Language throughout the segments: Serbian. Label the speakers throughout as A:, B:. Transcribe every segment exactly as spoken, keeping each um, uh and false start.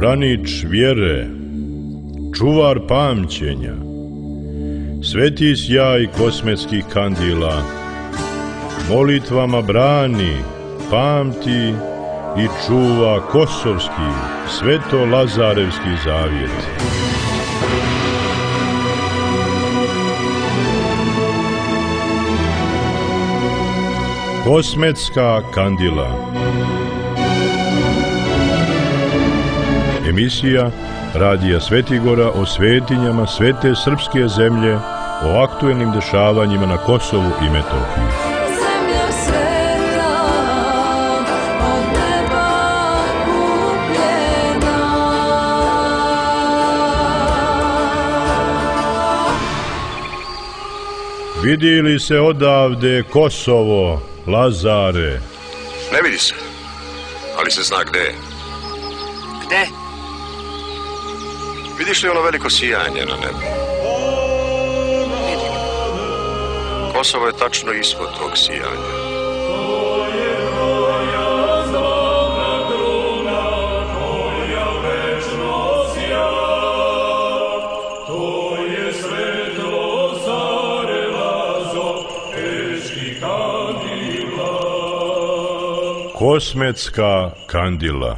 A: branič vjere, čuvar pamćenja, sveti sjaj kosmetskih kandila, molitvama brani, pamti i čuva kosovski, sveto-lazarevski zavjet. Kosmetska kandila. Emisija Radija Svetigora o svetinjama svete srpske zemlje, o aktuelnim dešavanjima na Kosovu i Metohiji. Vidi li se odavde Kosovo, Lazare?
B: Ne vidi se, ali se zna gde je.
C: Gde?
B: Vidiš li ono veliko sijanje na nebu?
C: Vidim.
B: Kosovo je tačno ispod tog sijanja.
A: Kosmetska kandila.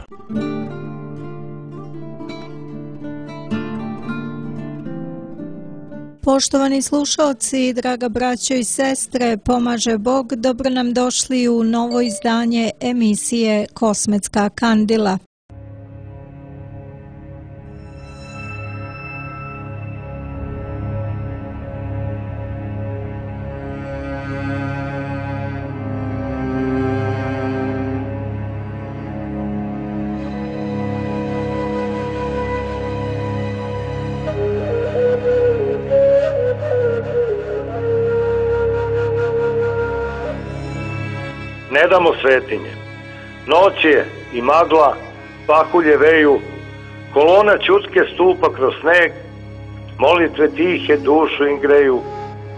D: Poštovani slušalci, draga braćo i sestre, pomaže Bog, dobro nam došli u novo izdanje emisije Kosmetska kandila.
E: Ne damo svetinje. Noć je i magla, pahulje veju, kolona ćutke stupa kroz sneg, molitve tihe dušu im greju,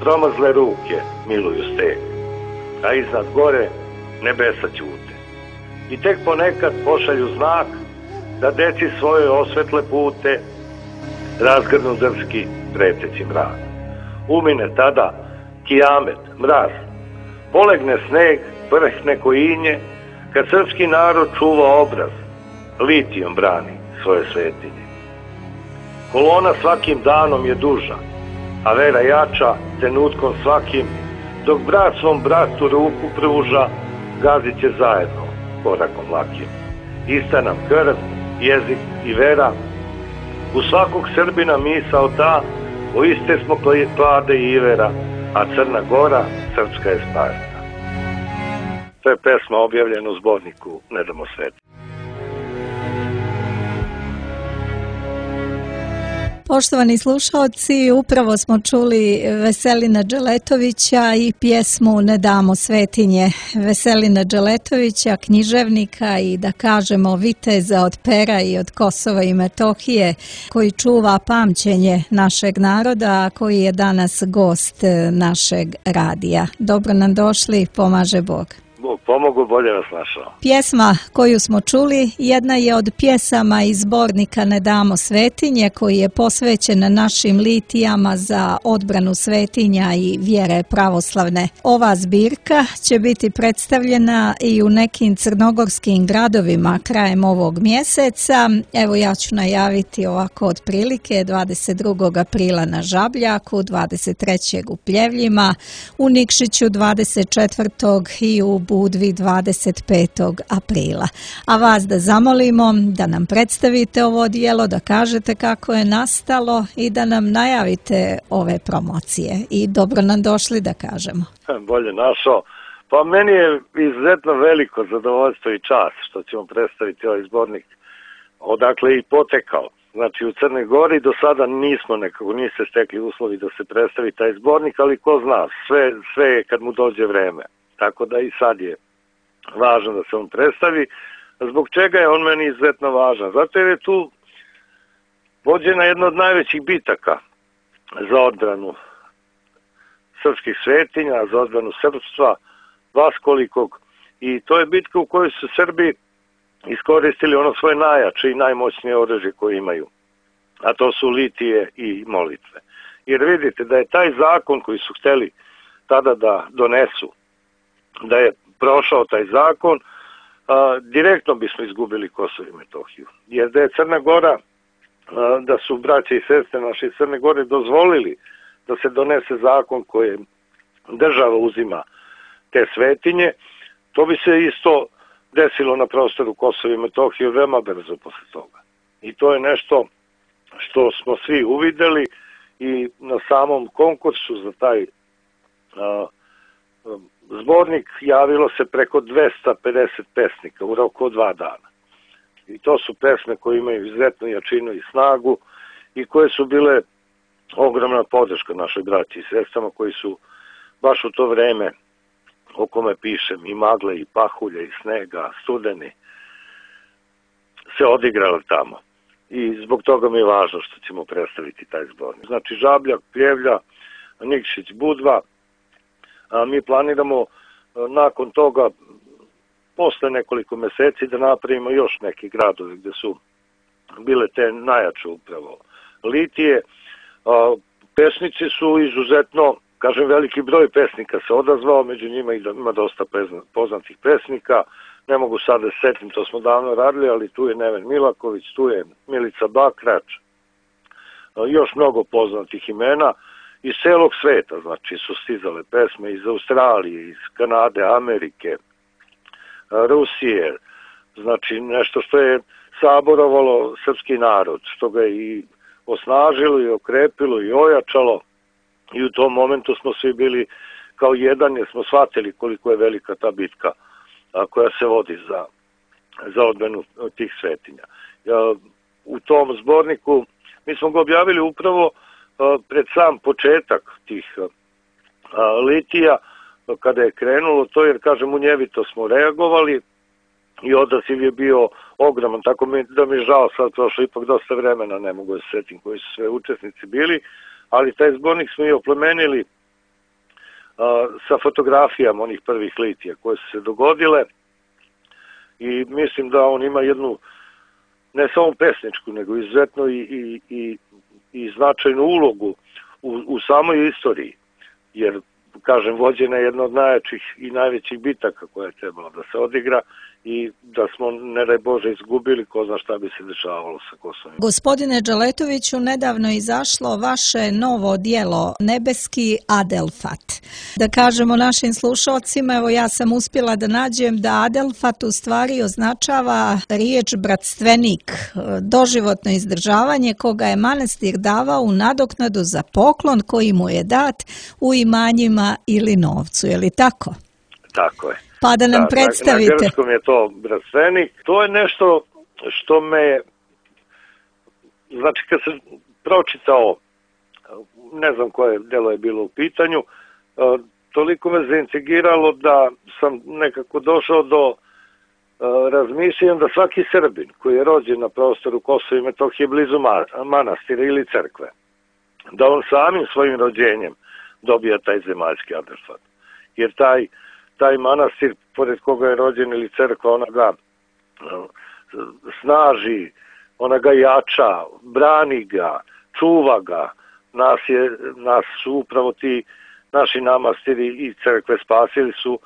E: promazle ruke miluju steg, a iznad gore nebesa ćute. I tek ponekad pošalju znak da deci svoje osvetle pute, razgrnu drski preteći mrak. Umine tada kijamet, mraz, polegne sneg, vrhne kojinje, kad srpski narod čuva obraz, litijom brani svoje svetinje. Kolona svakim danom je duža, a vera jača trenutkom svakim, dok brat svom bratu ruku pruža, gazit će zajedno korakom lakim. Ista nam krv, jezik i vera, u svakog Srbina misao ta, o iste smo klade i ivera, a Crna Gora srpska je Sparta. To je pesma objavljena u zborniku Ne damo svetinje.
D: Poštovani slušalci, upravo smo čuli Veselina Dželetovića i pjesmu Ne damo svetinje. Veselina Dželetovića, književnika i da kažemo viteza od pera i od Kosova i Metohije, koji čuva pamćenje našeg naroda, koji je danas gost našeg radija. Dobro nam došli, pomaže Bog.
E: Bog pomogu, bolje nas našao.
D: Pjesma koju smo čuli jedna je od pjesama iz zbornika Ne damo svetinje, koji je posvećen našim litijama za odbranu svetinja i vjere pravoslavne. Ova zbirka će biti predstavljena i u nekim crnogorskim gradovima krajem ovog mjeseca. Evo ja ću najaviti ovako otprilike dvadeset drugog aprila na Žabljaku, dvadeset trećeg u Pljevljima, u Nikšiću dvadeset četvrtog i u Budvi dvadeset petog aprila. A vas da zamolimo da nam predstavite ovo djelo, da kažete kako je nastalo i da nam najavite ove promocije. I dobro nam došli, da kažemo.
E: Bolje našao. Pa meni je izuzetno veliko zadovoljstvo i čast što ćemo predstaviti ovaj zbornik odakle i potekao. Znači u Crnoj Gori do sada nismo nekako, niste stekli uslovi da se predstavi taj zbornik, ali ko zna, sve, sve je kad mu dođe vreme. Tako da i sad je važno da se on predstavi. Zbog čega je on meni izuzetno važan? Zato jer je tu vođena jedna od najvećih bitaka za odbranu srpskih svetinja, za odbranu srpstva, vaskolikog. I to je bitka u kojoj su Srbi iskoristili ono svoje najjače i najmoćnije oružje koje imaju, a to su litije i molitve. Jer vidite da je taj zakon koji su hteli tada da donesu, da je prošao taj zakon, a, direktno bismo izgubili Kosovo i Metohiju. Jer da je Crna Gora, a, da su braće i sestre naše iz Crne Gore dozvolili da se donese zakon koje država uzima te svetinje, to bi se isto desilo na prostoru Kosova i Metohije veoma brzo posle toga. I to je nešto što smo svi uvideli i na samom konkursu za taj a, zbornik javilo se preko dvesta pedeset pesnika u roku od dva dana. I to su pesme koje imaju izuzetnu jačinu i snagu i koje su bile ogromna podrška našoj braći i sestrama koji su baš u to vreme, o kome pišem, i magle, i pahulje, i snega, studeni, se odigrali tamo. I zbog toga mi je važno što ćemo predstaviti taj zbornik. Znači Žabljak, Pljevlja, Nikšić, Budva. A mi planiramo nakon toga, posle nekoliko meseci, da napravimo još neki gradovi gde su bile te najjače upravo litije. A, pesnici su izuzetno, kažem, veliki broj pesnika se odazvao, među njima ima dosta poznatih pesnika. Ne mogu sad da setim, to smo davno radili, ali tu je Neven Milaković, tu je Milica Bakrač, još mnogo poznatih imena iz celog sveta, znači su stizale pesme iz Australije, iz Kanade, Amerike, Rusije, znači nešto što je saborovalo srpski narod, što ga je i osnažilo i okrepilo i ojačalo, i u tom momentu smo svi bili kao jedan, jer smo shvatili koliko je velika ta bitka koja se vodi za, za odbranu tih svetinja. U tom zborniku mi smo ga objavili upravo pred sam početak tih litija, kada je krenulo to, jer kažem, munjevito smo reagovali i odaziv je bio ogroman, tako mi, da mi je žao, sad prošlo ipak dosta vremena, ne mogu da se setim koji su sve učesnici bili, ali taj zbornik smo i oplemenili a, sa fotografijama onih prvih litija koje su se dogodile, i mislim da on ima jednu ne samo pesničku, nego izuzetno i, i, i, i značajnu ulogu u, u samoj istoriji, jer, kažem, vođena je jedna od najjačih i najvećih bitaka koja je trebala da se odigra, i da smo, ne daj Bože, izgubili, ko zna šta bi se dešavalo sa Kosovom.
D: Gospodine Dželetoviću, nedavno je izašlo vaše novo dijelo Nebeski Adelfat. Da kažemo našim slušalcima, evo ja sam uspjela da nađem da Adelfat u stvari označava riječ bratstvenik, doživotno izdržavanje koga je manastir davao u nadoknadu za poklon koji mu je dat u imanjima ili novcu, je li tako?
E: Tako je.
D: Pa da nam
E: da,
D: predstavite.
E: Na, na grčkom je to bratstvenik. To je nešto što me, znači kad sam pročitao, ne znam koje delo je bilo u pitanju, toliko me zaintrigiralo da sam nekako došao do razmišljanja da svaki Srbin koji je rođen na prostoru Kosova i Metohije blizu manastira ili crkve, da on samim svojim rođenjem dobija taj zemaljski Adelfat. Jer taj taj manastir, pored koga je rođen, ili crkva, ona ga snaži, ona ga jača, brani ga, čuva ga. Nas, je, nas su upravo ti naši namastiri i crkve spasili su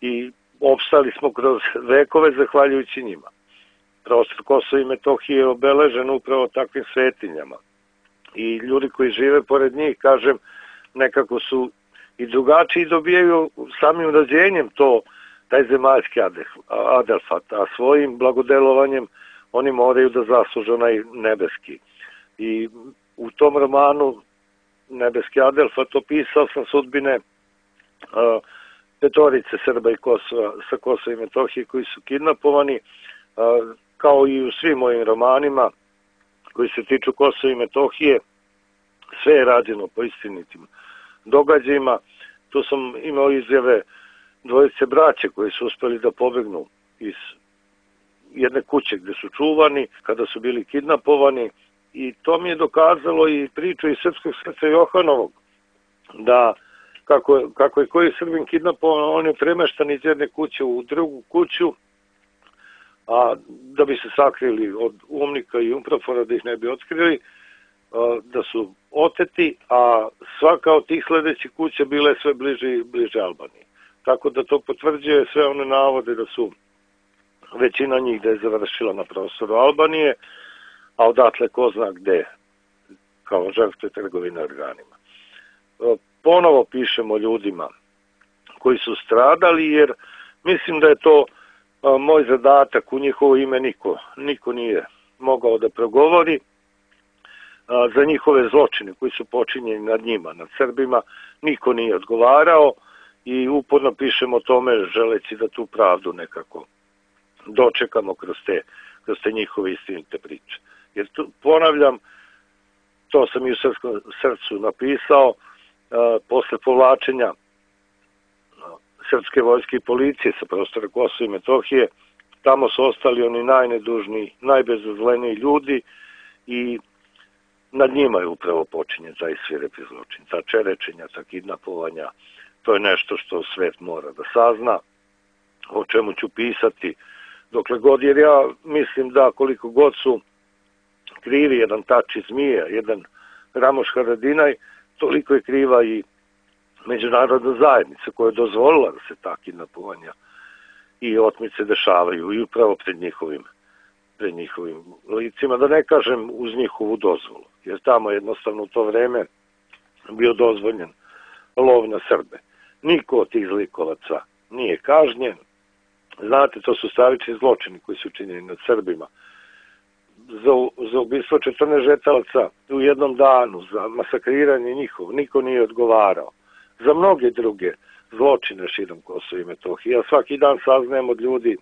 E: i opstali smo kroz vekove zahvaljujući njima. Prostor Kosova i Metohije je obeležen upravo takvim svetinjama. I ljudi koji žive pored njih, kažem, nekako su i drugačiji, dobijaju samim rođenjem to, taj zemaljski Adelfat, a svojim blagodelovanjem oni moraju da zasluže onaj nebeski. I u tom romanu Nebeski Adelfat opisao sam sudbine a, petorice Srba i Kosova, sa Kosova i Metohije koji su kidnapovani, a, kao i u svim mojim romanima koji se tiču Kosova i Metohije, sve je rađeno po istinitim događajima. Tu sam imao izjave dvojice braće koji su uspeli da pobegnu iz jedne kuće gde su čuvani kada su bili kidnapovani, i to mi je dokazalo i priču iz Srpskog srca Johanovog, da kako, kako je koji Srbin kidnapovan, on je premeštan iz jedne kuće u drugu kuću, a da bi se sakrili od UNMIK-a i UNPROFOR-a, da ih ne bi otkrili, da su oteti, a svaka od tih sledećih kuća bila je sve bliže i bliže Albaniji. Tako da to potvrđuje sve one navode da su većina njih da je završila na prostoru Albanije, a odatle ko zna gde, kao žrtve trgovine organima. Ponovo pišemo ljudima koji su stradali, jer mislim da je to moj zadatak, u njihovo ime niko, niko nije mogao da progovori, za njihove zločine koji su počinjeni nad njima, nad Srbima, niko nije odgovarao i uporno pišemo o tome želeći da tu pravdu nekako dočekamo kroz te, kroz te njihove istinite priče. Jer tu, ponavljam, to sam i u srpskom srcu napisao, a, posle povlačenja srpske vojske i policije sa prostora Kosova i Metohije, tamo su ostali oni najnedužniji, najbezazleniji ljudi i nad njima je upravo počinjen taj svirepi zločin, ta čerečenja, ta kidnapovanja. To je nešto što svet mora da sazna, o čemu ću pisati dokle god, jer ja mislim da koliko god su krivi jedan Tači Zmija, jedan Ramoš Haradinaj, toliko je kriva i međunarodna zajednica koja je dozvolila da se ta kidnapovanja i otmice dešavaju i upravo pred njihovim pred njihovim licima, da ne kažem uz njihovu dozvolu, jer tamo jednostavno u to vreme bio dozvoljen lov na Srbe. Niko od tih zlikovaca nije kažnjen. Znate, to su stravični zločini koji su činjeni nad Srbima. Za, za ubistvo četrnaest žetalaca u jednom danu, za masakriranje njihov, niko nije odgovarao. Za mnoge druge zločine širom Kosova i Metohije. Ja svaki dan saznajem od ljudi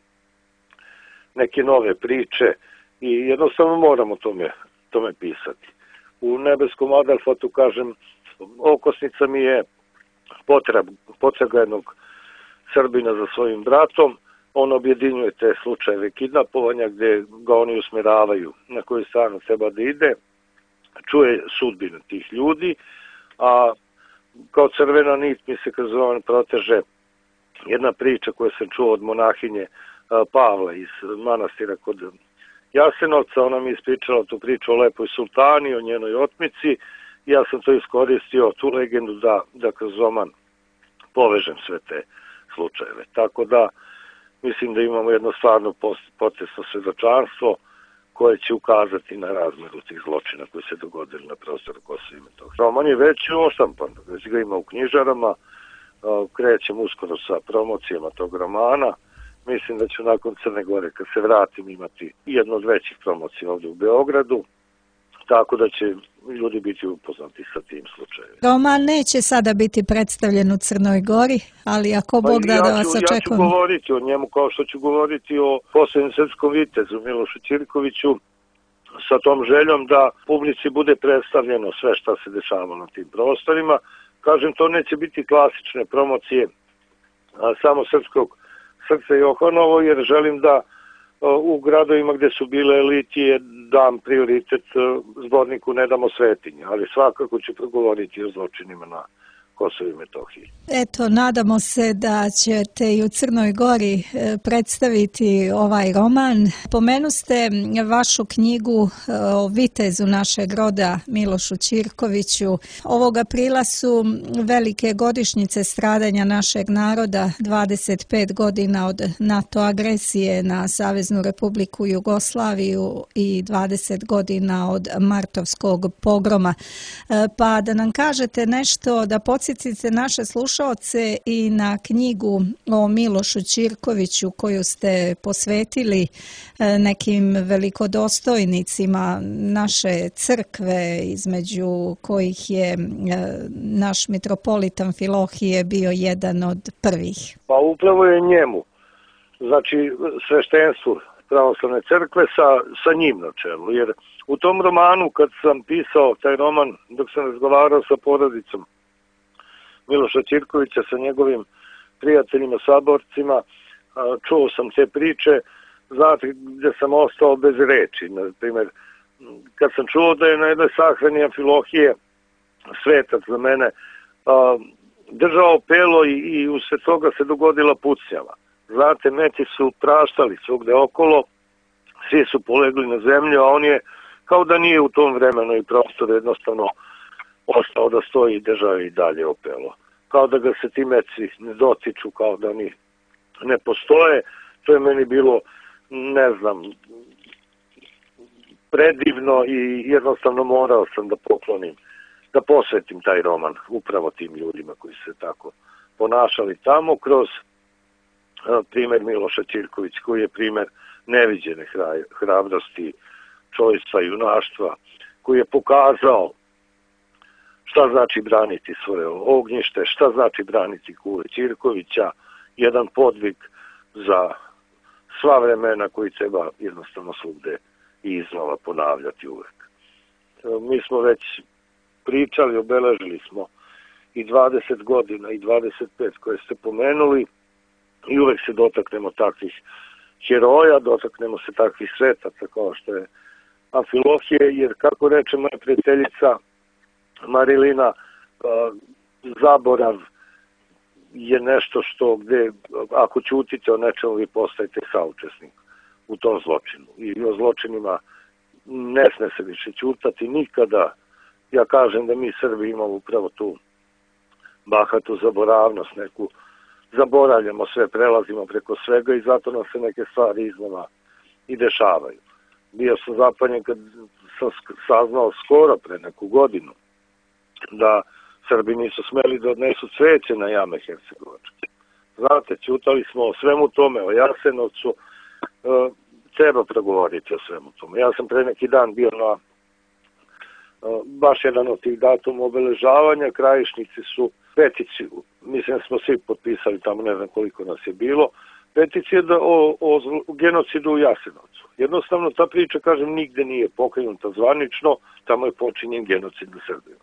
E: neke nove priče i jednostavno moramo tome, tome pisati. U nebeskom Adelfatu, kažem, okosnica mi je potreb, potrega jednog Srbina za svojim bratom. On objedinjuje te slučajeve kidnapovanja gde ga oni usmeravaju na koju stranu treba da ide, čuje sudbine tih ljudi, a kao crvena nit mi se kroz ovaj proteže jedna priča koju sam čuo od monahinje Pavla iz manastira kod Jasenovca. Ona mi ispričala tu priču o lepoj sultani, o njenoj otmici. Ja sam to iskoristio, tu legendu, da, da kroz roman povežem sve te slučajeve. Tako da mislim da imamo jedno stvarno potresno svedočanstvo koje će ukazati na razmeru tih zločina koji se dogodili na prostoru Kosova i Metohije. Roman je već oštampan, već ga ima u knjižarama, krećem uskoro sa promocijama tog romana. Mislim da ću nakon Crne Gore, kad se vratim, imati jednu od većih promocija ovdje u Beogradu, tako da će ljudi biti upoznati sa tim slučajevima.
D: Roman neće sada biti predstavljen u Crnoj Gori, ali ako Bog da, da vas očekujemo.
E: Ja ću govoriti o njemu kao što ću govoriti o posljednjem srpskom vitezu Milošu Ćirkoviću, sa tom željom da publici bude predstavljeno sve šta se dešava na tim prostorima. Kažem, to neće biti klasične promocije a, samo srpskog srca Johanovo, jer želim da u gradovima gde su bile elitije dam prioritet zborniku Ne damo svetinje, ali svakako ću progovoriti o zločinima na Kosovu i Metohiji.
D: Eto, nadamo se da ćete i u Crnoj Gori predstaviti ovaj roman. Pomenu ste vašu knjigu o vitezu našeg roda Milošu Ćirkoviću. Ovog aprila su velike godišnjice stradanja našeg naroda, dvadeset pet godina od NATO agresije na Saveznu Republiku Jugoslaviju i dvadeset godina od martovskog pogroma. Pa da nam kažete nešto, da podsjetite naše slušaoce i na knjigu o Milošu Ćirkoviću koju ste posvetili nekim velikodostojnicima naše crkve, između kojih je naš mitropolitan Filohije bio jedan od prvih.
E: Pa upravo je njemu, znači sveštenstvu pravoslavne crkve sa, sa njim na čelu, jer u tom romanu, kad sam pisao taj roman, dok sam razgovarao sa porodicom Miloša Ćirkovića, sa njegovim prijateljima, saborcima, čuo sam te priče, znate, gde sam ostao bez reči. Na primjer, kad sam čuo da je na jednoj sahrani Amfilohije, svetac za mene, držao pelo i, i usred toga se dogodila pucnjava. Znate, meci su praštali svugde okolo svi su polegli na zemlju, a on je kao da nije u tom vremenu i prostoru jednostavno ostao da stoji i državi i dalje opelo. Kao da ga se ti meci ne dotiču, kao da oni ne postoje. To je meni bilo, ne znam, predivno i jednostavno morao sam da poklonim, da posvetim taj roman upravo tim ljudima koji se tako ponašali tamo kroz primer Miloša Ćirković, koji je primer neviđene hrabrosti, čojstva i junaštva, koji je pokazao šta znači braniti svoje ognjište, šta znači braniti Kule Ćirkovića, jedan podvig za sva vremena koji treba jednostavno svugde i iznova ponavljati uvek. Mi smo već pričali, obeležili smo i dvadeset godina i dvadeset pet koje ste pomenuli i uvek se dotaknemo takvih heroja, dotaknemo se takvih svetaca kao što je Amfilohije, jer kako reče moja prijateljica Marilina, zaborav je nešto što gde, ako ćutite o nečemu, vi postajete saučesnik u tom zločinu. I o zločinima ne sme se više ćutati nikada. Ja kažem da mi Srbi imamo upravo tu bahatu zaboravnost, neku zaboravljamo sve, prelazimo preko svega i zato nam se neke stvari iznova i dešavaju. Bio sam zapanjen kad sam saznao skoro pre neku godinu da Srbi nisu smeli da odnesu cveće na jame Hercegovačke. Znate, ćutali smo o svemu tome, o Jasenovcu, e, treba progovoriti o svemu tome. Ja sam pre neki dan bio na e, baš jedan od tih datuma obeležavanja, Krajišnici su peticiju, mislim da smo svi potpisali tamo, ne znam koliko nas je bilo, peticije da, o, o, o genocidu u Jasenovcu. Jednostavno ta priča, kažem, nigde nije pokrenuta zvanično, tamo je počinjen genocid u Srbiji.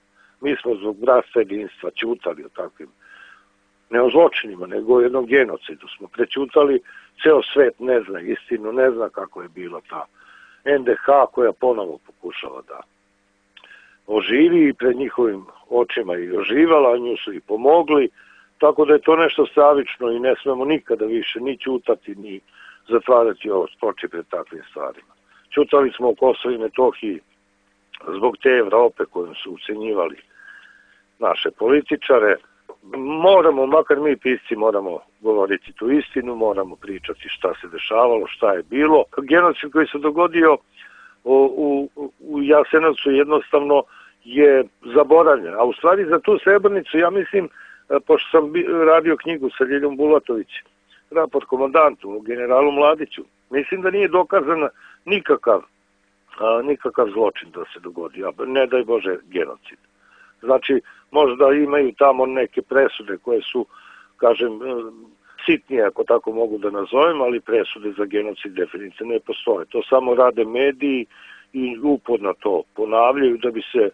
E: Mi smo zbog bratstva jedinstva ćutali o takvim, ne o zločinima, nego o jednom genocidu. Smo prećutali, ceo svet ne zna istinu, ne zna kako je bila ta en de ha koja ponovo pokušava da oživi i pred njihovim očima i oživala, a nju su i pomogli, tako da je to nešto stravično i ne smemo nikada više ni ćutati, ni zatvarati ovo oči pred takvim stvarima. Ćutali smo o Kosovu i Metohiji zbog te Evrope kojom su ucenjivali naše političare. Moramo, makar mi pisci, moramo govoriti tu istinu, moramo pričati šta se dešavalo, šta je bilo. Genocid koji se dogodio u, u, u Jasenovcu jednostavno je zaboravljen. A u stvari za tu Srebrenicu, ja mislim, pošto sam radio knjigu sa Ljiljom Bulatović, raport komandantu, generalu Mladiću, mislim da nije dokazan nikakav, a, nikakav zločin da se dogodi, a ne daj Bože genocid. Znači, možda imaju tamo neke presude koje su, kažem, sitnije, ako tako mogu da nazovem, ali presude za genocid definitivno ne postoje. To samo rade mediji i uporno to ponavljaju da bi se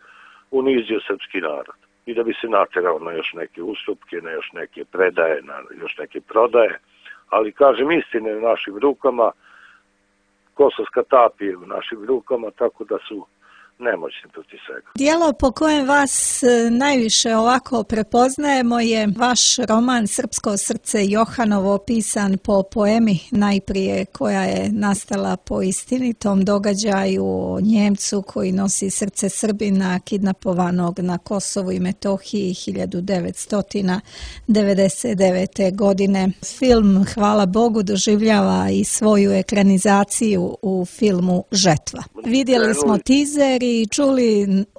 E: unizio srpski narod i da bi se naterao na još neke ustupke, na još neke predaje, na još neke prodaje. Ali, kažem, istine u našim rukama, Kosovska tapija u našim rukama, tako da su nemoćni protiv svega.
D: Dijelo po kojem vas najviše ovako prepoznajemo je vaš roman Srpsko srce Johanovo, pisan po poemi najprije koja je nastala po istinitom događaju o Njemcu koji nosi srce Srbina kidnapovanog na Kosovu i Metohiji hiljadu devetsto devedeset devete. godine. Film, hvala Bogu, doživljava i svoju ekranizaciju u filmu Žetva. Vidjeli smo teaser i čuli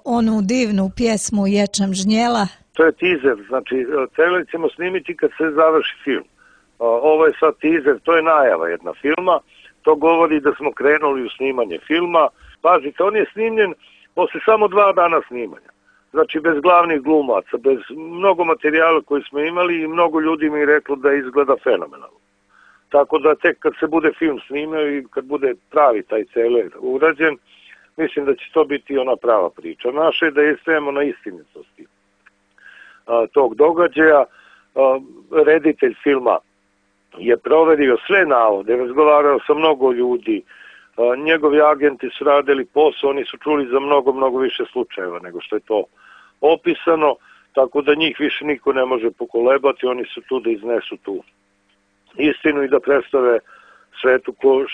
D: onu divnu pjesmu Ječam žnjela.
E: To je teaser, znači trebali ćemo snimiti kad se završi film. Ovo je sad teaser, to je najava jedna filma, to govori da smo krenuli u snimanje filma. Pazite, on je snimljen posle samo dva dana snimanja. Znači bez glavnih glumaca, bez mnogo materijala koji smo imali i mnogo ljudi mi je reklo da izgleda fenomenalno. Tako da tek kad se bude film snimao i kad bude pravi taj celer urađen, mislim da će to biti ona prava priča. Naše je da istrajemo na istinitosti a, tog događaja. A, reditelj filma je proverio sve navode, razgovarao sa mnogo ljudi, a, njegovi agenti su radili posao, oni su čuli za mnogo, mnogo više slučajeva nego što je to opisano, tako da njih više niko ne može pokolebati, oni su tu da iznesu tu istinu i da predstave svetu ko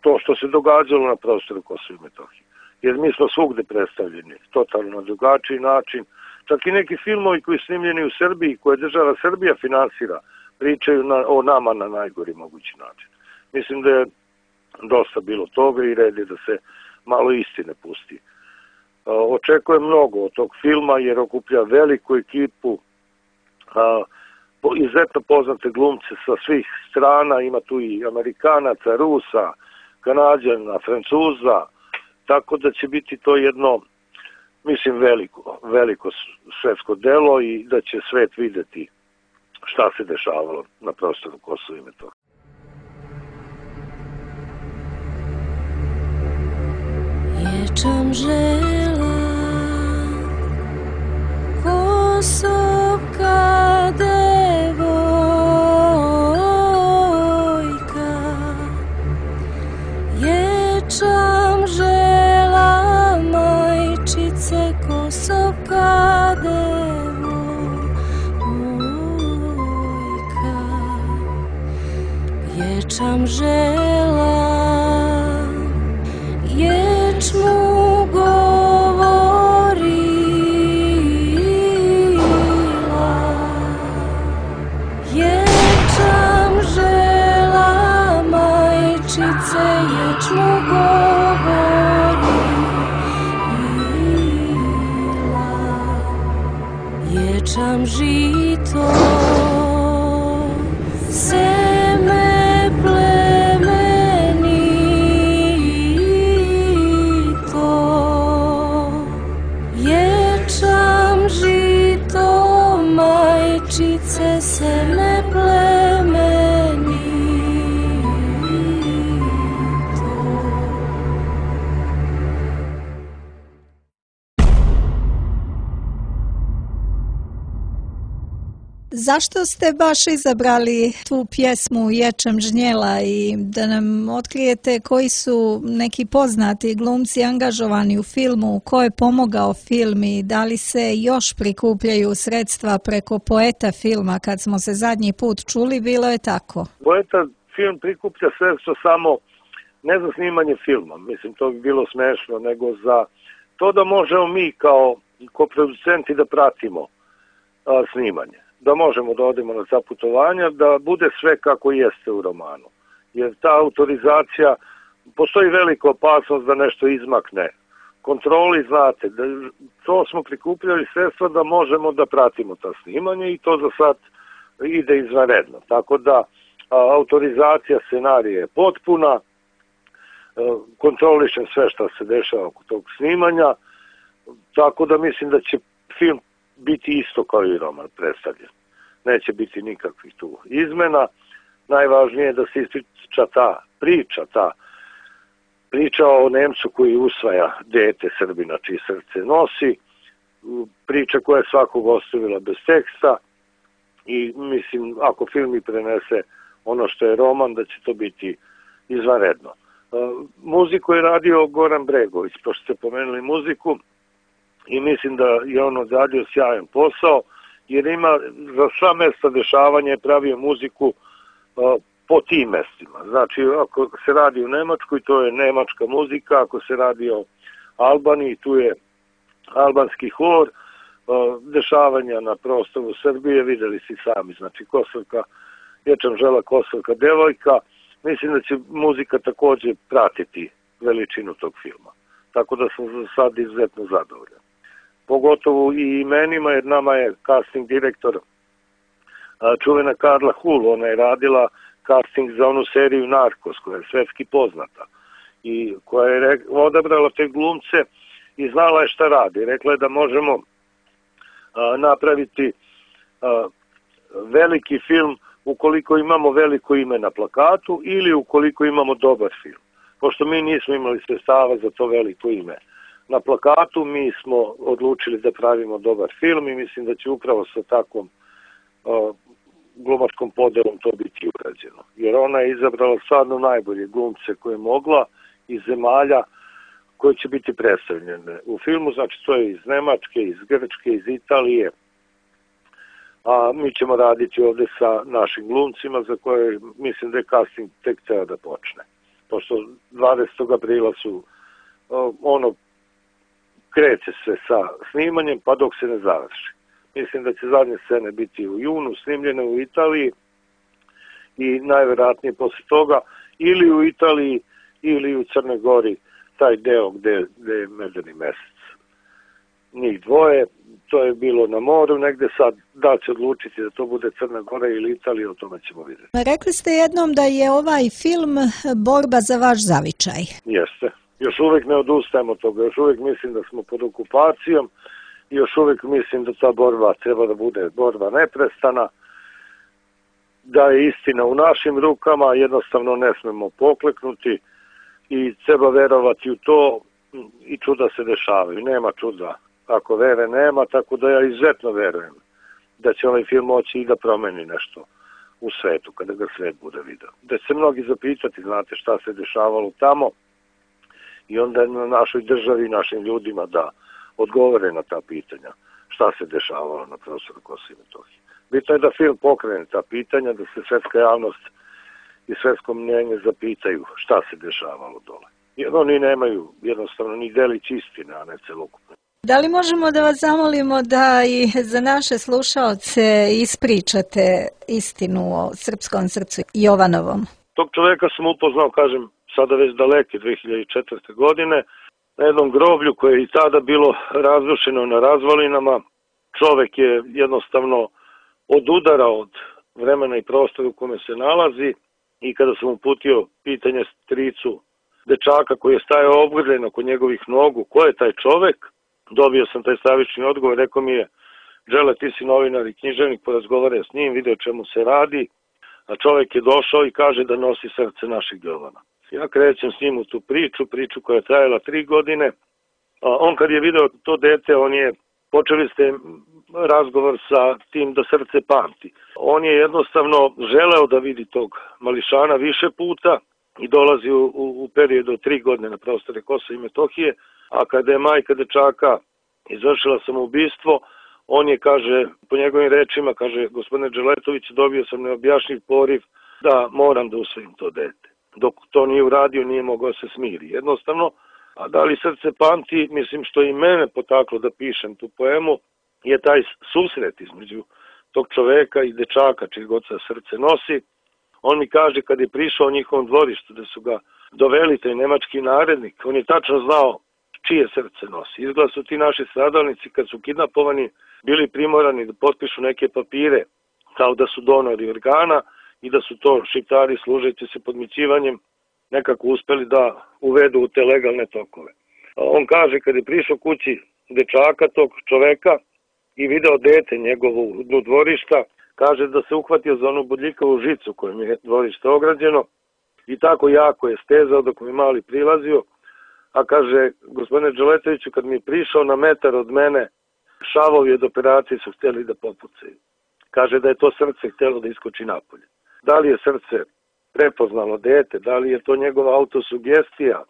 E: to što se događalo na prostoru Kosova i Metohije. Jer mi smo svugde predstavljeni totalno na drugačiji način. Čak i neki filmovi koji su snimljeni u Srbiji, koje država Srbija finansira, pričaju na, o nama na najgori mogući način. Mislim da je dosta bilo toga i red je da se malo istine pusti. Očekujem mnogo od tog filma jer okuplja veliku ekipu, izuzetno poznate glumce sa svih strana, ima tu i Amerikanaca, Rusa, Kanađana, Francuza, tako da će biti to jedno, mislim, veliko, veliko svetsko delo i da će svet videti šta se dešavalo na prostoru Kosova i Metohije.
F: Ječam žela Kosovka devojka, ječam žela majčice Kosovka devojka, ječam žela ječmu govorila, ječam žela majčice ječmu govorila, ječam žito seme plemenito, ječam žito majčice seme plemenito.
D: Zašto ste baš izabrali tu pjesmu Ječam žnjela i da nam otkrijete koji su neki poznati glumci angažovani u filmu, ko je pomogao film i da li se još prikupljaju sredstva preko Poeta filma? Kad smo se zadnji put čuli, bilo je tako.
E: Poeta film prikuplja sredstva samo ne za snimanje filma, mislim to bi bilo smešno, nego za to da možemo mi kao koproducenti da pratimo a, snimanje. Da možemo da odemo na ta putovanja, da bude sve kako jeste u romanu. Jer ta autorizacija, postoji velika opasnost da nešto izmakne. Kontroli, znate, da, to smo prikupljali sredstva da možemo da pratimo ta snimanje i to za sad ide izvanredno. Tako da a, autorizacija scenarija je potpuna, a, kontrolišem sve što se dešava oko tog snimanja, tako da mislim da će film biti isto kao i roman predstavljen. Neće biti nikakvih tu izmena. Najvažnije je da se ispriča ta priča, ta priča o Nemcu koji usvaja dete Srbina čiji srce nosi, priča koja je svakog ostavila bez teksta i mislim ako film i prenese ono što je roman da će to biti izvanredno. Muziku je radio Goran Bregović, pošto ste pomenuli muziku, i mislim da je on odradio sjajan posao, jer ima za sva mesta dešavanja je pravio muziku uh, po tim mestima. Znači, ako se radi u Nemačkoj, to je nemačka muzika, ako se radi o Albaniji, tu je albanski hor, uh, dešavanja na prostoru Srbije, videli si sami, znači Kosovka, Ječam žela Kosovka devojka, mislim da će muzika takođe pratiti veličinu tog filma. Tako da sam za sad izuzetno zadovoljan. Pogotovo i imenima, jer nama je casting direktor čuvena Karla Hul, ona je radila casting za onu seriju Narcos, koja je svetski poznata i koja je odabrala te glumce i znala je šta radi. Rekla je da možemo a, napraviti a, veliki film ukoliko imamo veliko ime na plakatu ili ukoliko imamo dobar film. Pošto mi nismo imali sredstava za to veliko ime na plakatu, mi smo odlučili da pravimo dobar film i mislim da će upravo sa takvom uh, glumačkom podelom to biti urađeno. Jer ona je izabrala stvarno najbolje glumce koje je mogla iz zemalja koje će biti predstavljene u filmu, znači to je iz Nemačke, iz Grčke, iz Italije, a mi ćemo raditi ovde sa našim glumcima za koje mislim da je casting tek treba da počne. pošto dvadesetog aprila su ono, kreće se sa snimanjem pa dok se ne završi. Mislim da će zadnje scene biti u junu, snimljene u Italiji i najvjerojatnije posle toga ili u Italiji ili u Crnoj Gori, taj deo gde, gde je Medeni mesec. Njih dvoje, to je bilo na moru negde, sad da će odlučiti da to bude Crna Gora ili Italija, o tome ćemo vidjeti.
D: Rekli ste jednom da je ovaj film borba za vaš zavičaj.
E: Jeste. Još uvijek ne odustajemo od toga, još uvijek mislim da smo pod okupacijom i još uvijek mislim da ta borba treba da bude borba neprestana, da je istina u našim rukama, jednostavno ne smemo pokleknuti i treba verovati u to i čuda se dešavaju. Nema čuda ako vere nema, tako da ja izuzetno verujem da će ovaj film moći i da promeni nešto u svetu, kada ga svet bude video. Da će se mnogi zapitati, znate, šta se dešavalo tamo i onda je na našoj državi i našim ljudima da odgovore na ta pitanja šta se dešavalo na prostoru Kosova i Metohije. Bitno je da film pokrene ta pitanja, da se svetska javnost i svetsko mnjenje zapitaju šta se dešavalo dole. Jer oni nemaju jednostavno ni delić istine, a ne celokupno.
D: Da li možemo da vas zamolimo da i za naše slušaoce ispričate istinu o srpskom srcu Jovanovom?
E: Tog čoveka sam upoznao, kažem, sada već daleke dve hiljade četvrte. godine, na jednom groblju koje je i tada bilo razrušeno na razvalinama. Čovek je jednostavno odudara od vremena i prostora u kome se nalazi i kada sam uputio pitanje stricu dečaka koji je stajao obgrljen oko njegovih nogu, ko je taj čovek, dobio sam taj stravični odgovor, rekao mi je: Đele, ti si novinar i književnik, porazgovaraj s njim, vidio čemu se radi, a čovek je došao i kaže da nosi srce našeg Jovana. Ja krećem s njim u tu priču, priču koja je trajala tri godine. A on kad je video to dete, on je, počeli ste razgovor sa tim da srce pamti. On je jednostavno želeo da vidi tog mališana više puta i dolazi u, u, u periodu od tri godine na prostore Kosova i Metohije, a kada je majka dečaka izvršila samoubistvo, on je, kaže, po njegovim rečima, kaže: gospodine Đeletović, dobio sam neobjašnjiv poriv da moram da usvojim to dete. Dok to nije uradio, nije mogao se smiri. Jednostavno, a da li srce pamti, mislim što i mene potaklo da pišem tu poemu, je taj susret između tog čoveka i dečaka čiji god se srce nosi. On mi kaže kad je prišao u njihovom dvorištu da su ga doveli taj nemački narednik, on je tačno znao čije srce nosi. Izgleda su ti naši stradalnici kad su kidnapovani bili primorani da potpišu neke papire kao da su donori organa i da su to Šiptari služeći se podmićivanjem nekako uspeli da uvedu u te legalne tokove. On kaže kad je prišao kući dečaka tog čoveka i video dete njegovo u dnu dvorišta, kaže da se uhvatio za onu bodljikavu žicu kojom je dvorište ograđeno i tako jako je stezao dok mi mali prilazio, a kaže: gospodine Đeletoviću, kad mi je prišao na metar od mene, šavovi od operacije su htjeli da popucaju. Kaže da je to srce htjelo da iskoči napolje. Da li je srce prepoznalo dete, da li je to njegova autosugestija,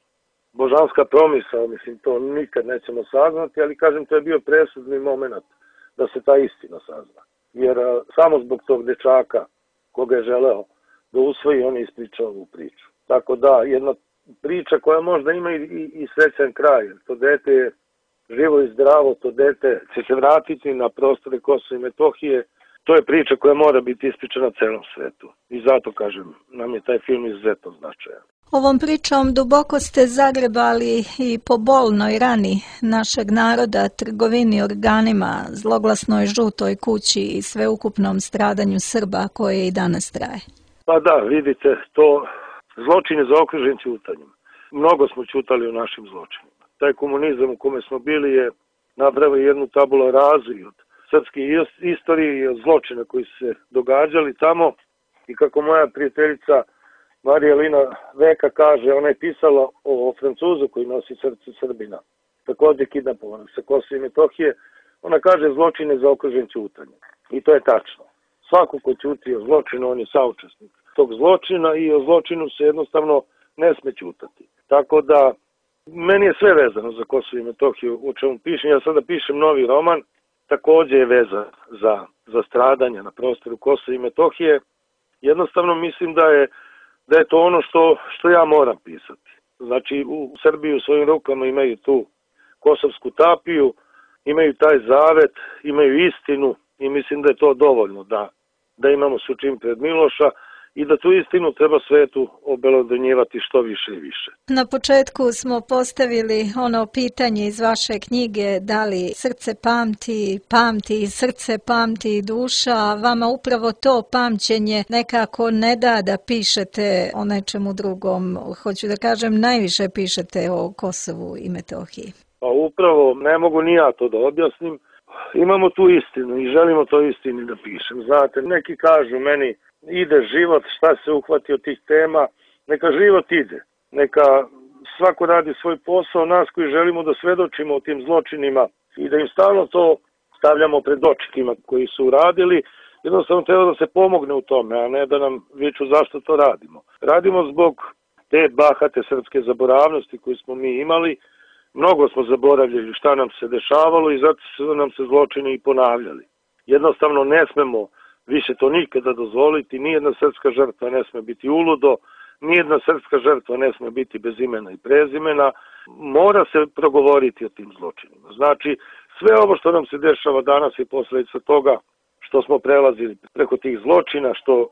E: božanska promisao, mislim, to nikad nećemo saznati, ali kažem, to je bio presudni moment da se ta istina sazna. Jer a, samo zbog tog dečaka koga je želeo da usvoji, on je ispričao ovu priču. Tako da, jedna priča koja možda ima i, i, i srećan kraj, to dete je živo i zdravo, to dete će se vratiti na prostore Kosova i Metohije. To je priča koja mora biti ispričana celom svetu. I zato, kažem, nam je taj film izuzetno značajan.
D: Ovom pričom duboko ste zagrebali i po bolnoj rani našeg naroda, trgovini organima, zloglasnoj žutoj kući i sveukupnom stradanju Srba koje i danas traje.
E: Pa da, vidite, to zločin je zaokružen ćutanjem. Mnogo smo ćutali o našim zločinima. Taj komunizam u kome smo bili je napravio jednu tabula razu od srpske istorije i od zločina koji su se događali tamo. I kako moja prijateljica Marija Lina Veka kaže, ona je pisala o Francuzu koji nosi srce Srbina, također kidnapovanog sa Kosova i Metohije. Ona kaže zločin je zaokružen ćutanjem. I to je tačno. Svako ko ćuti o zločinu, on je saučesnik tog zločina i o zločinu se jednostavno ne sme ćutati. Tako da, meni je sve vezano za Kosovo i Metohiju, u čemu pišem. Ja sada pišem novi roman, također je vezan za, za stradanja na prostoru Kosova i Metohije. Jednostavno mislim da je da je to ono što, što ja moram pisati. Znači u Srbiji u svojim rukama imaju tu kosovsku tapiju, imaju taj zavet, imaju istinu i mislim da je to dovoljno da, da imamo sučin pred Miloša i da tu istinu treba svetu obelodanjivati što više i više.
D: Na početku smo postavili ono pitanje iz vaše knjige, da li srce pamti, pamti i srce, pamti i duša. Vama upravo to pamćenje nekako ne da da pišete o nečemu drugom. Hoću da kažem, najviše pišete o Kosovu i Metohiji.
E: Pa upravo, ne mogu ni ja to da objasnim. Imamo tu istinu i želimo to istini da pišem. Znate, neki kažu meni, ide život, šta se uhvati od tih tema, neka život ide, neka svako radi svoj posao, nas koji želimo da svedočimo o tim zločinima i da im stalno to stavljamo pred očima koji su uradili, jednostavno treba da se pomogne u tome, a ne da nam viču zašto to radimo. Radimo zbog te bahate srpske zaboravnosti koju smo mi imali, mnogo smo zaboravljali šta nam se dešavalo i zato su nam se zločini i ponavljali. Jednostavno ne smemo više to nikada dozvoliti, nijedna srpska žrtva ne sme biti uludo, nijedna srpska žrtva ne sme biti bez imena i prezimena, mora se progovoriti o tim zločinima. Znači, sve ovo što nam se dešava danas je posledica toga što smo prelazili preko tih zločina, što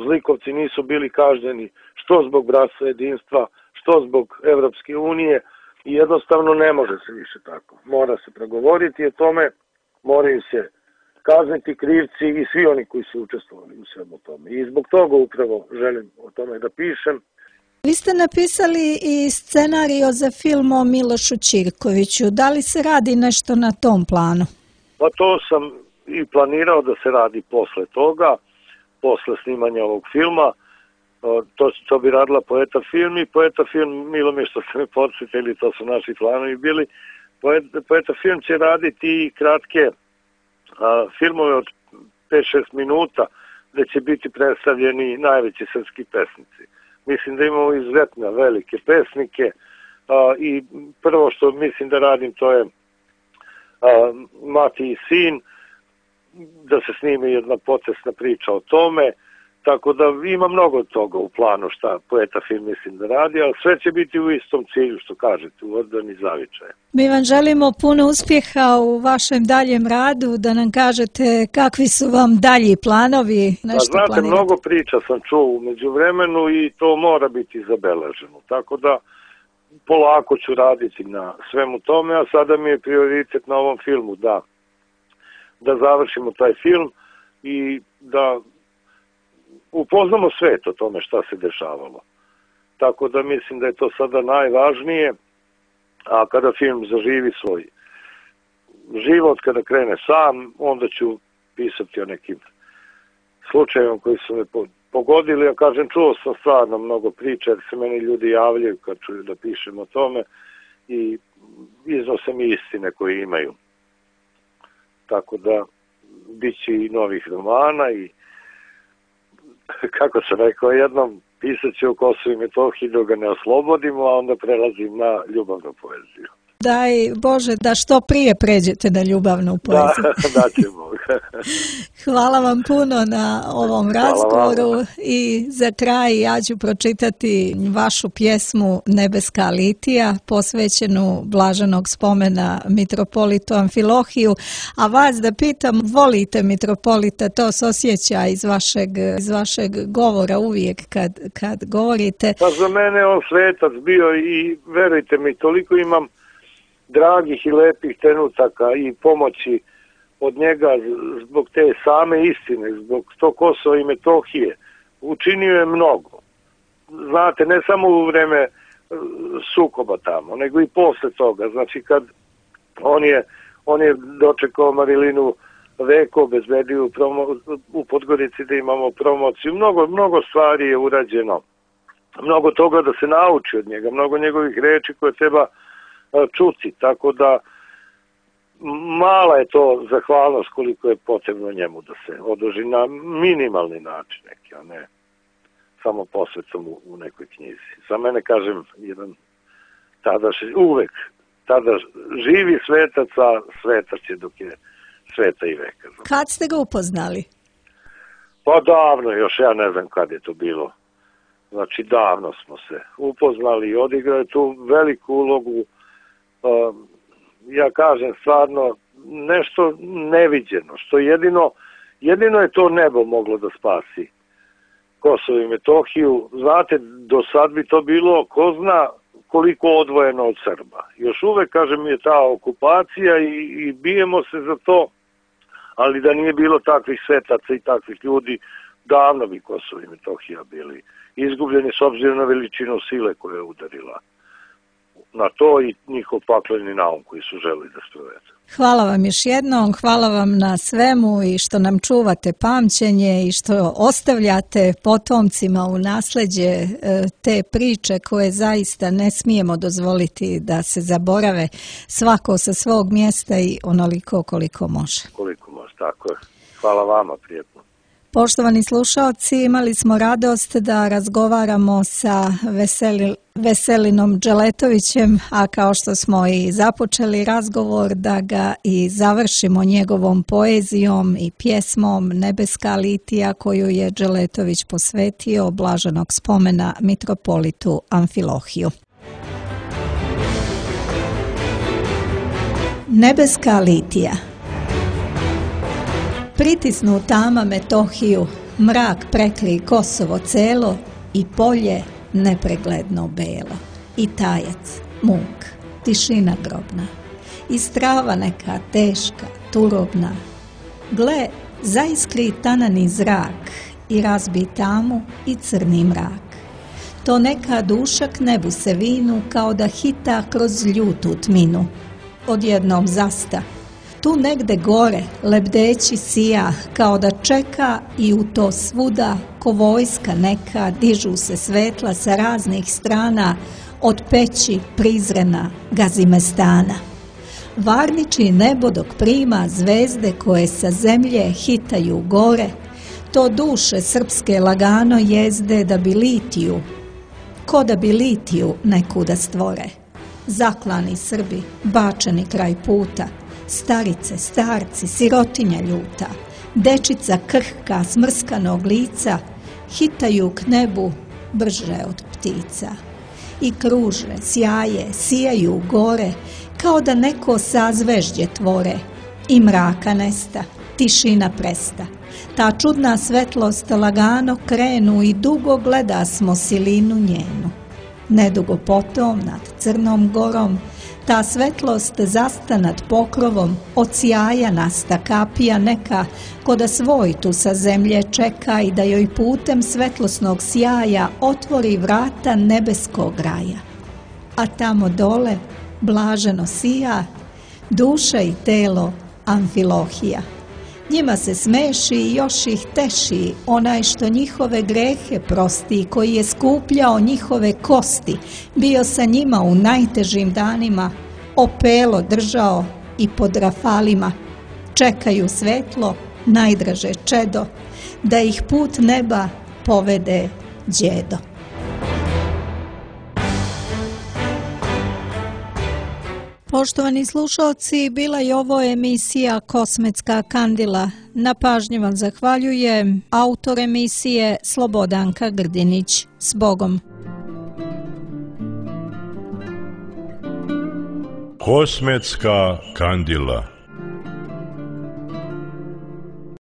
E: zlikovci nisu bili kažnjeni, što zbog bratstva jedinstva, što zbog Evropske unije i jednostavno ne može se više tako. Mora se progovoriti o tome, moraju se kazniti krivci i svi oni koji su učestvovali u svemu tome. I zbog toga upravo želim o tome da pišem.
D: Vi ste napisali i scenario za film o Milošu Ćirkoviću. Da li se radi nešto na tom planu?
E: Pa to sam i planirao da se radi posle toga, posle snimanja ovog filma. To, to bi radila Poeta film i Poeta film, milo mi što ste me podsjetili, to su naši planovi bili. Poeta, Poeta film će raditi kratke a, filmove od pet šest minuta gde će biti predstavljeni najveći srpski pesnici. Mislim da imamo izuzetne velike pesnike a, i prvo što mislim da radim to je a, Mati i sin, da se snimi jedna potresna priča o tome. Tako da ima mnogo toga u planu šta Poeta film mislim da radi, ali sve će biti u istom cilju što kažete, u odbrani zavičaja.
D: Mi vam želimo puno uspjeha u vašem daljem radu, da nam kažete kakvi su vam dalji planovi. Nešto
E: pa znate,
D: planirate.
E: Mnogo priča sam čuo u međuvremenu i to mora biti zabeleženo. Tako da polako ću raditi na svemu tome, a sada mi je prioritet na ovom filmu da, da završimo taj film i da upoznamo svet o tome šta se dešavalo. Tako da mislim da je to sada najvažnije, a kada film zaživi svoj život, kada krene sam, onda ću pisati o nekim slučajima koji su me pogodili. Ja kažem, čuo sam stvarno mnogo priča, jer se meni ljudi javljaju kad čuju da pišem o tome i iznose mi istine koje imaju. Tako da bit će i novih romana i kako sam rekao, jednom pisat ću o Kosovu i Metohiji dok ga ne oslobodimo, a onda prelazim na ljubavnu poeziju.
D: Daj Bože da što prije pređete na ljubavnu poeziju.
E: Da, da ćemo.
D: Hvala vam puno na ovom razgovoru i za kraj ja ću pročitati vašu pjesmu Nebeska litija posvećenu blaženog spomena mitropolitu Amfilohiju, a vas da pitam, volite mitropolita, to se osjeća iz vašeg, iz vašeg govora uvijek kad, kad govorite.
E: Pa za mene on svetac bio i verujte mi, toliko imam dragih i lepih trenutaka i pomoći od njega zbog te same istine, zbog to Kosova i Metohije. Učinio je mnogo. Znate, ne samo u vreme sukoba tamo, nego i posle toga. Znači, kad on je, on je dočekao Marilinu Veko, obezbedio u, promo, u Podgorici da imamo promociju. Mnogo, mnogo stvari je urađeno. Mnogo toga da se nauči od njega, mnogo njegovih reči koje treba čuti, tako da mala je to zahvalnost koliko je potrebno njemu da se oduži na minimalni način neki, a ne samo posvetom u, u nekoj knjizi. Za mene, kažem, jedan tada uvek tada živi svetac, a svetac je dok je sveta i veka.
D: Kad ste ga upoznali?
E: Pa davno, još ja ne znam kad je to bilo. Znači, davno smo se upoznali i odigrao je tu veliku ulogu. Ja kažem stvarno nešto neviđeno, što jedino, jedino je to nebo moglo da spasi Kosovo i Metohiju. Znate, do sad bi to bilo ko zna koliko odvojeno od Srba. Još uvek, kažem, je ta okupacija i, i bijemo se za to, ali da nije bilo takvih svetaca i takvih ljudi, davno bi Kosovo i Metohija bili izgubljeni s obzirom na veličinu sile koja je udarila na to i njihov pakleni naum koji su želi da sprovedu.
D: Hvala vam još jednom, hvala vam na svemu i što nam čuvate pamćenje i što ostavljate potomcima u nasleđe te priče koje zaista ne smijemo dozvoliti da se zaborave, svako sa svog mjesta i onoliko koliko može.
E: Koliko može, tako je. Hvala vama, prijetno.
D: Poštovani slušalci, imali smo radost da razgovaramo sa Veseli, Veselinom Dželetovićem, a kao što smo i započeli razgovor, da ga i završimo njegovom poezijom i pjesmom Nebeska litija koju je Dželetović posvetio blaženog spomena mitropolitu Amfilohiju. Nebeska litija. Pritisnu tama Metohiju, mrak prekli Kosovo celo i polje nepregledno belo. I tajac, muk, tišina grobna, i strava neka teška, turobna. Gle, zaiskri tanani zrak i razbi tamu i crni mrak. To neka duša k nebu se vinu kao da hita kroz ljutu tminu. Odjednom zasta. Tu negde gore, lebdeći sija, kao da čeka i u to svuda, ko vojska neka, dižu se svetla sa raznih strana, od peći prizrena Gazimestana. Varniči nebo dok prima zvezde koje sa zemlje hitaju gore, to duše srpske lagano jezde da bi litiju, ko da bi litiju nekuda stvore. Zaklani Srbi, bačeni kraj puta, starice, starci, sirotinja ljuta, dečica krhka smrskanog lica, hitaju k nebu brže od ptica. I kruže, sjaje, sijaju gore, kao da neko sazvežđe tvore. I mraka nesta, tišina presta. Ta čudna svetlost lagano krenu i dugo gleda smo silinu njenu. Nedugo potom nad Crnom gorom ta svetlost zasta nad pokrovom, od sjaja nasta kapija neka, ko da svoj tu sa zemlje čeka i da joj putem svetlosnog sjaja otvori vrata nebeskog raja. A tamo dole blaženo sija duša i telo Amfilohija. Njima se smeši i još ih teši onaj što njihove grehe prosti, koji je skupljao njihove kosti, bio sa njima u najtežim danima, opelo držao i pod rafalima. Čekaju svetlo, najdraže čedo, da ih put neba povede đedo. Poštovani slušalci, bila je ovo emisija Kosmetska kandila. Na pažnji vam zahvaljujem autor emisije Slobodanka Grdinić. S Bogom!
A: Kosmetska kandila.